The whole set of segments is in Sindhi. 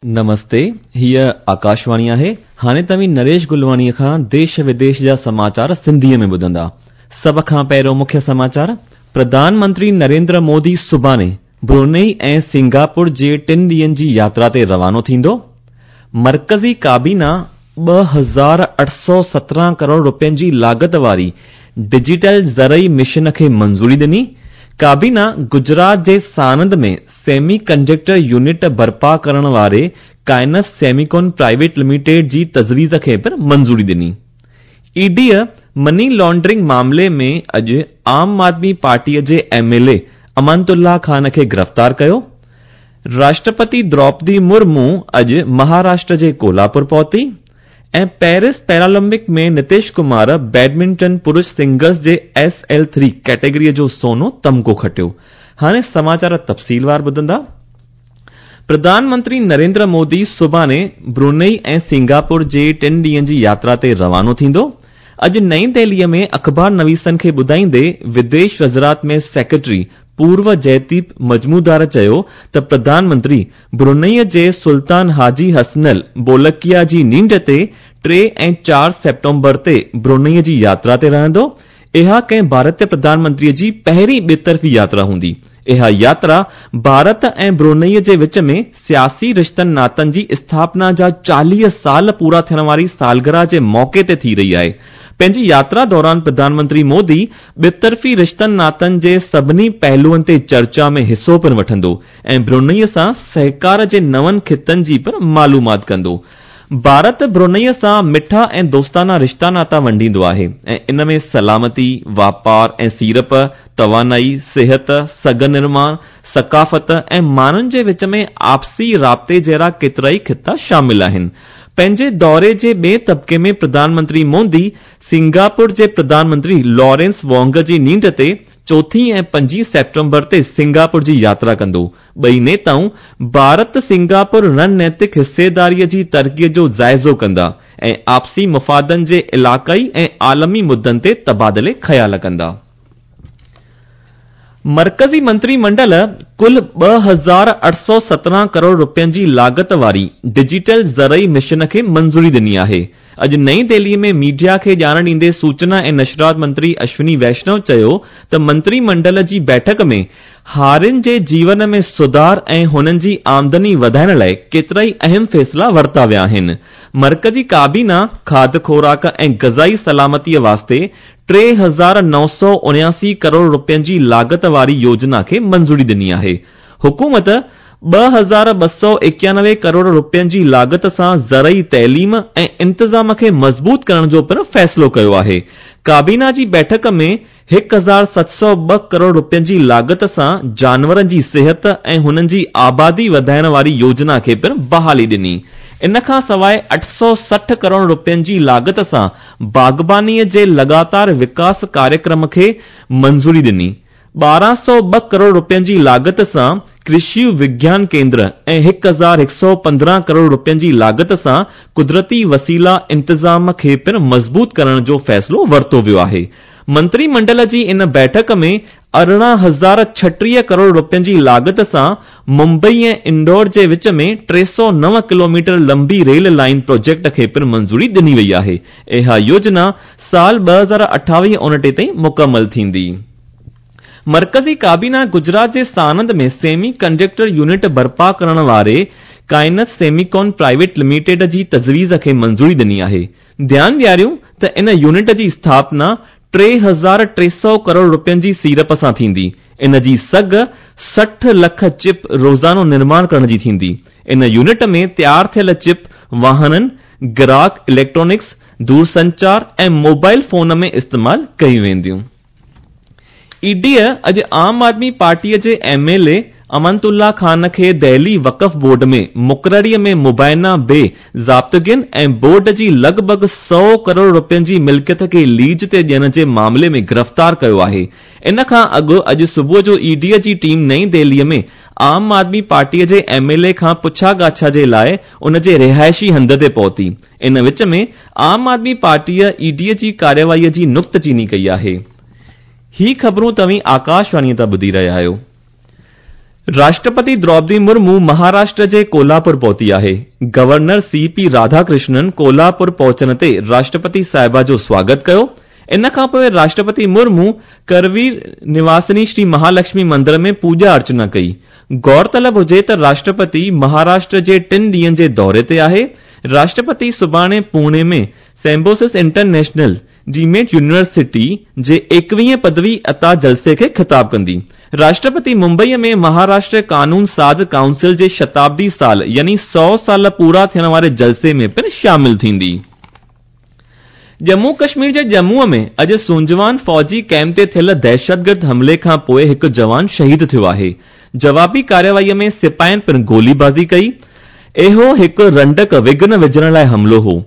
نمستي، هيء آڪاشواڻي آهي. هاڻي توهين نريش گلواڻيء کان ديش وديش جا سماچار سنڌيء ۾ ٻڌندا. سڀ کان پهريون مکيه سماچار، پرڌان منتري نريندر مودي سڀاڻي برونئي ۽ سنگاپور جي ٽن ڏينهن جي ياترا تي روانو ٿيندو. مرڪزي ڪابينا 2817 ڪروڙ رپين جي لاڳت واري ڊجيٽل زرعي مشن کي منظوري ڏني. ڪابينا گجرات جي سانند ۾ سيمي ڪنڊڪٽر يونٽ برپا ڪرڻ واري ڪائنس سيميڪون پرائيويٽ لميٽيڊ جي تجويز کي پڻ منظوري ڏني. اي ڊيء مني لانڊرنگ معاملي ۾ اڄ عام آدمي پارٽيء جي M L A Amanatullah Khan کي گرفتار ڪيو. راشٽرپتي دروپدي مرمو اڄ مهاراشٽر جي ڪولهاپور پهتي ۽ پيرس پيرالمپڪ ۾ نتيش ڪمار بيڊمنٽن پرش سنگلز جي ايس ايل ٿري ڪيٽيگريء جو سونو تمغو کٽيو. هاڻي سماچار تفصيلوار ٻڌندا. پرڌان منتري نريندر مودي سڀاڻي برونئي ۽ سنگاپور جي ٽن ڏينهن جي ياترا تي روانو ٿيندو. اڄ نئين دهليء ۾ اخبار نويسن کي ٻڌائيندي وديش وزارت ۾ سيڪريٽري پورو جئديپ مجمودار چيو ته پرڌان منتري برونئي جي سلطان حاجي حسنل بولڪيا جي نينڍ تي 3 ۽ 4 سيپٽمبر تي برونئي جي ياترا تي رهندو. اها ڪنهن ڀارتي پرڌان منتري جي پهرين ٻطرفي ياترا هوندي. اها ياترا ڀارت ۽ برونئي جي وچ ۾ سياسي رشتن ناتن جي اسٿاپنا جا 40 سال پورا ٿيڻ واري سالگرهه جي موقعي تي ٿي رهي آهي. پنهنجي ياترا دوران پرڌان منتري مودي ٻطرفي رشتن ناتن جي سڀني پهلوئن تي چرچا ۾ حصو پڻ وٺندو ۽ برونئي سان سهڪار جي نون خطن جي پڻ معلومات ڪندو. ڀارت برونئي سان مٺا ۽ دوستانا رشتا ناتا ونڊيندو آهي ۽ ان ۾ سلامتي، واپار ۽ سيڙپ، توانائي، صحت، سگهه نرماڻ، ثقافت ۽ ماڻهن جي وچ ۾ آپسي رابطي جهڙا ڪيترائي خطا شامل آهن. پنهنجي دوري جي ٻئي طبقي ۾ پرڌان منتري مودي سنگاپور جي پرڌان منتري لارنس وانگ جي نينڍ تي چوٿين ۽ پنجين سيپٽمبر تي سنگاپور جي ياترا ڪندو. ٻئي نيتائون ڀارت سنگاپور رڻنيتڪ حصيداري جي ترقي جو جائزو ڪندا ۽ آپسي مفادن جي علائقائي ۽ عالمي مدن تي تبادلي خيال ڪندا. مرڪزي منتري منڊل ڪل 2817 ڪروڙ رپين جي لاڳت واري ڊجيٽل زرعي مشن کي منظوري ڏني آهي. اڄ نئين دهلي ۾ ميڊيا کي ڄاڻ ڏيندي سوچنا ۽ نشرات منتري اشوني ويشنو چيو ته منتري منڊل جي بيٺڪ ۾ هارين جي جيون ۾ سڌار ۽ هنن جي آمدني وڌائڻ لاء ڪيترائي اهم فيصلا ورتا ويا آهن. مرڪزي ڪابينا کاڌ خوراڪ ۽ غذائي سلامتي واسطي 3979 ڪروڙ رپين جي لاڳت واري يوجنا کي منظوري ڏني آهي. حڪومت 2291 ڪروڙ رپين جي لاڳت سان زرعي تعليم ۽ انتظام کي مضبوط ڪرڻ جو پڻ فيصلو ڪيو آهي. ڪابينا جي بيٺڪ ۾ 1702 ڪروڙ رپين جي لاڳت سان جانورن جي صحت ۽ هنن جي آبادي وڌائڻ واري يوجنا کي پڻ بحالي ڏني. ان کان سواء 860 ڪروڙ رپين جي لاڳت سان باغبانيء جي لڳاتار وڪاس ڪاريڪرم کي منظوري ڏني. 1202 ڪروڙ رپين جي لاڳت سان ڪرشي وگيان ڪيندر ۽ 1115 ڪروڙ رپين جي لاڳت سان قدرتي وسيلا انتظام کي پڻ مضبوط ڪرڻ جو فيصلو ورتو ويو آهي. منتري منڊل جي ان بيٺڪ ۾ 18036 ڪروڙ رپين جي لاڳت سان ممبئي ۽ اندور جي وچ ۾ 309 ڪلوميٽر لمبي ريل لائين پروجيڪٽ کي پڻ منظوري ڏني وئي آهي. اها يوجنا سال 2028-29 تائين مڪمل ٿيندي. مرڪزي ڪابينا گجرات جي سانند ۾ سيمي ڪنڊڪٽر يونٽ برپا ڪرڻ واري ڪائنس سيميڪون پرائيويٽ لميٽيڊ جي تجويز کي منظوري ڏني آهي. ڌيان ڏياريون ته ان يونٽ جي اسٿاپنا 3300 ڪروڙ رپين جي سيڙپ سان ٿيندي. ان جي سگهه 60 لک چپ روزانو نرماڻ ڪرڻ جي ٿيندي. ان يونٽ ۾ تيار ٿيل چپ واهنن، گراهڪ اليڪٽرانڪس، دورسنچار ۽ موبائل فون ۾ استعمال ڪيون وينديون. اي ڊيء اڄ عام آدمي پارٽيء جي M L A Amanatullah Khan کي دهلي وقف بورڊ ۾ مقرريء ۾ مبينا بي ضابطگين ۽ بورڊ جي لڳ ڀڳ 100 ڪروڙ رپين جي ملڪيت کي ليز تي ڏيڻ جي معاملي ۾ گرفتار ڪيو آهي. ان کان اڳ اڄ صبح جو اي ڊيء جي ٽيم نئين دهليء ۾ عام آدمي پارٽيء جي ايم ايل اي کان پڇا ڳاڇا جي لاء ان جي رهائشي هنڌ تي پهتي. ان وچ ۾ عام آدمي پارٽيء اي ڊيء جي ڪارروائيء جي نڪته چيني ڪئي آهي. هي خبرون توهين آڪاشواڻيء تان ٻڌي رهيا آهيو. راشٽرپتي دروپدي مرمو مهاراشٽر جي ڪولهاپور پهتي آهي. Governor C P Radhakrishnan Kolhapur پهچڻ تي راشٽرپتي صاحبه جو سواگت ڪيو. ان کان پوء راشٽرپتي مرمو ڪروير نواسني شري مهالڪشمي مندر ۾ پوڄا ارچنا ڪئي. غور طلب هجي ته راشٽرپتي مهاراشٽر جي ٽن ڏينهن جي دوري تي آهي. راشٽرپتي سڀاڻي پوني ۾ سيمبوسس انٽرنيشنل ڊيمڊ يونيورسٽي جي ايڪويهين پدوي عطا جلسي کي خطاب ڪندي. راشٽرپتي ممبئي ۾ مهاراشٽر قانون ساز ڪائونسل جي شتابدي سال يعني سؤ سال پورا ٿيڻ واري جلسي ۾ پڻ شامل ٿيندي. ڄمون ڪشمير جي ڄمون ۾ اڄ سونجوان فوجي ڪئمپ تي ٿيل دهشتگرد حملي کان پوء هڪ جوان شهيد ٿيو آهي. جوابي ڪارروائي ۾ سپاهين پڻ گوليبازي ڪئي. اهو هڪ رنڊڪ وگهن وجهڻ لاء حملو هو.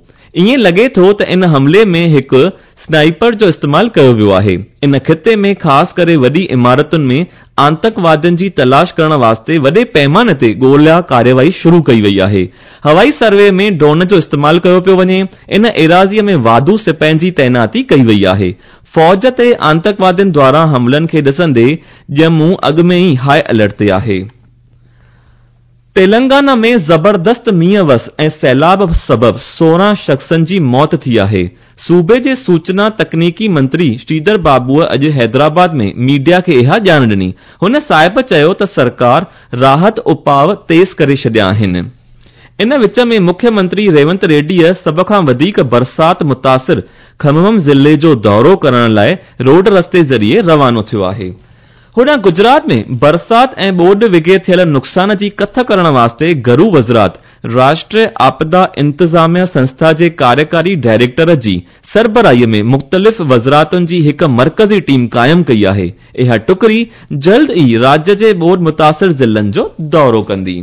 ائين لڳي ٿو ته ان حملي ۾ هڪ سنائپر جو استعمال ڪيو ويو آهي. ان خطي ۾ خاص ڪري وڏي عمارتن ۾ آتنڪوادين جي تلاش ڪرڻ واسطي وڏي پيماني تي ڳولا ڪارروائي شروع ڪئي وئي آهي. هوائي سروي ۾ ڊرون جو استعمال ڪيو پيو وڃي. ان ايراضي ۾ واڌو سپاهين جي تعيناتي ڪئي وئي آهي. فوج تي آتنڪوادين دواران حملن کي ڏسندي ڄمون اڳ ۾ ئي هاء الرٽ تي آهي. تيلنگانا ۾ زبردست مينهن وس ۽ سيلاب سبب 16 شخصن جي موت ٿي آهي. صوبي جي سوچنا تڪنيڪي منتري شريڌر بابوء اڄ حيدرآباد ۾ ميڊيا کي اها ڄاڻ ڏني. هن صاحب چيو ته سرڪار راحت اپاء تيز ڪري ڇڏيا آهن. ان وچ ۾ مکيه منتري ريونت ريڊيء سڀ کان وڌيڪ برسات متاثر کممم ضلعي جو دورو ڪرڻ لاء روڊ رستي ذريعي روانو ٿيو آهي. هوڏانهن گجرات ۾ برسات ۽ ٻوڏ وگهي ٿيل نقصان جي ڪٿ ڪرڻ واسطي گهرو وزارت راشٽريه آپدا انتظاميه سنسٿا جي ڪاريڪاري ڊائريڪٽر جي سربراهي ۾ مختلف وزارتن جي هڪ مرڪزي ٽيم قائم ڪئي آهي. اها ٽڪري جلد ئي راجيه جي ٻوڏ متاثر ضلعن جو دورو ڪندي.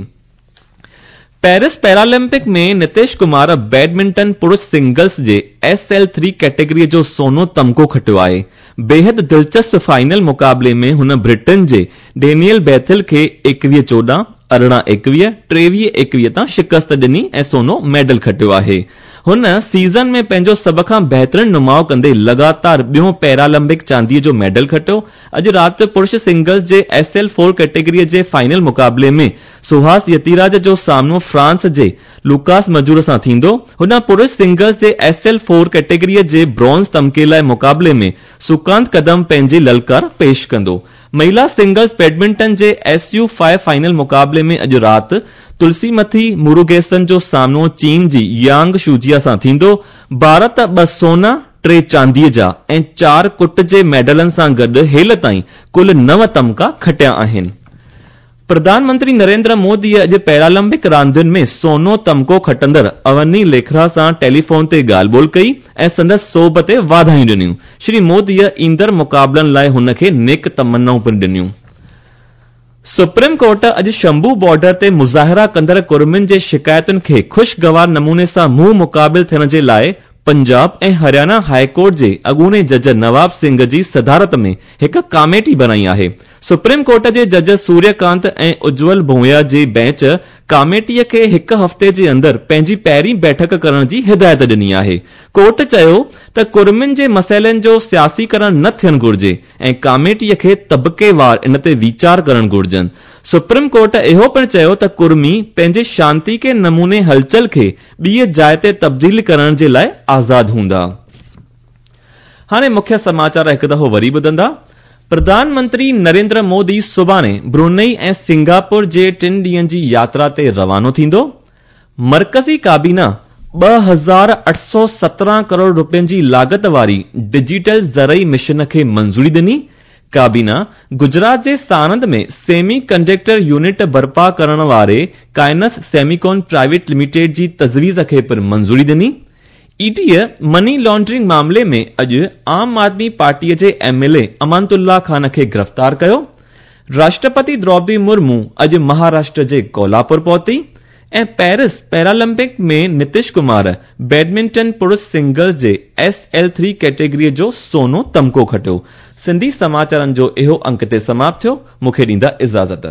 پيرس پيرالمپڪ ۾ نتيش ڪمار بيڊمنٽن پرش سنگلز جي ايس ايل ٿري ڪيٽيگري جو سونو تمغو کٽيو آهي. بيحد دلچسپ فائنل مقابلي ۾ هن برٽن جي ڊينيئل بيٿل کي 21 14، 18 21، 23 21 تان شڪست ڏني ۽ سونو ميڊل کٽيو آهي. هن سيزن ۾ پنهنجو سڀ کان بهترين نماءُ ڪندي لڳاتار ٻيون پيرالمپڪ چاندي جو ميڊل کٽيو. اڄ رات پرش سنگلز جي ايس ايل فور ڪيٽيگري جي فائنل مقابلي ۾ سهاس يتيراج جو سامنو فرانس جي لوڪاس مجور سان ٿيندو. هوڏانهن پرش سنگلز جي ايس ايل فور ڪيٽيگري جي برونز تمغي لاء مقابلي ۾ سڪانت ڪدم پنهنجي للڪار پيش ڪندو. مهيلا سنگلز بيڊمنٽن جي ايس يو فائيو فائنل مقابلي ۾ اڄ رات تلسيمٿي مروگيسن جو سامنو چين جي يانگ شوجيا سان ٿيندو. ڀارت ٻه سونا، ٽي چانديء جا ۽ چار ڪٽ جي ميڊلن سان گڏ هيل تائين ڪل نو تمغا کٽيا آهن. پرڌان منتري نريندر موديء اڄ پيرالمپڪ راندين ۾ سونو تمغو کٽندڙ اوني ليکرا سان ٽيليفون تي ڳالهه ٻولهه ڪئي ۽ سندس سوڀ تي واڌايون ڏنيون. شري موديء ايندڙ مقابلن لاء هن کي نيڪ تمنائون پڻ ڏنيون. سپريم ڪورٽ اڄ شمبو بارڊر تي مظاهرا ڪندڙ ڪرمين جي شڪايتن کي خوشگوار نموني سان منهن مقابل ٿيڻ جي لاء پنجاب ۽ هريانا هاء ڪورٽ جي اڳوڻي جج نواب سنگهه جي صدارت ۾ هڪ ڪاميٽي بڻائي آهي. سپريم ڪورٽ جي جج سوريه ڪانت ۽ اجول ڀويا جي بينچ ڪاميٽي کي هڪ هفتي جي اندر پنهنجي پهرين بيٺڪ ڪرڻ جي هدايت ڏني آهي. ڪورٽ چيو ته ڪرمين جي مسئلن جو سياسيڪرڻ نه ٿيڻ گهرجي ۽ ڪاميٽي کي طبقيوار ان تي ويچار ڪرڻ گهرجن. سپريم ڪورٽ اهو پڻ چيو ته ڪرمي پنهنجي شانتيڪي نموني هلچل کي ٻيء جاء تي تبديل ڪرڻ جي لاء آزاد هوندا. هاڻي مکيه سماچار هڪ دفعو وري ٻڌندا. پرڌان منتري نريندر مودي سڀاڻي برونئي ۽ سنگاپور جي ٽن ڏينهن جي ياترا تي روانو ٿيندو. مرڪزي ڪابينا 2817 ڪروڙ رپين جي لاڳت واري ڊجيٽل زرعي مشن کي منظوري ڏني. ڪابينا گجرات جي ساڻند ۾ سيمي ڪنڊڪٽر يونٽ برپا ڪرڻ واري ڪائنس سيميڪون پرائيويٽ لميٽيڊ جي تجويز کي پڻ منظوري ڏني. اي ڊي مني لانڊرنگ معاملي ۾ اڄ عام آدمي پارٽي جي M L A Amanatullah Khan کي گرفتار ڪيو. راشٽرپتي دروپدي مرمو اڄ مهاراشٽر جي ڪولهاپور پهتي ۽ پيرس پيرالمپڪ ۾ نتيش ڪمار بيڊمنٽن پرش سنگلز جي ايس ايل ٿري ڪيٽيگري جو سونو تمغو کٽيو. سنڌي سماچارن جو اهو انڪ هتي سماپت ٿيو. مون کي ڏيندا اجازت.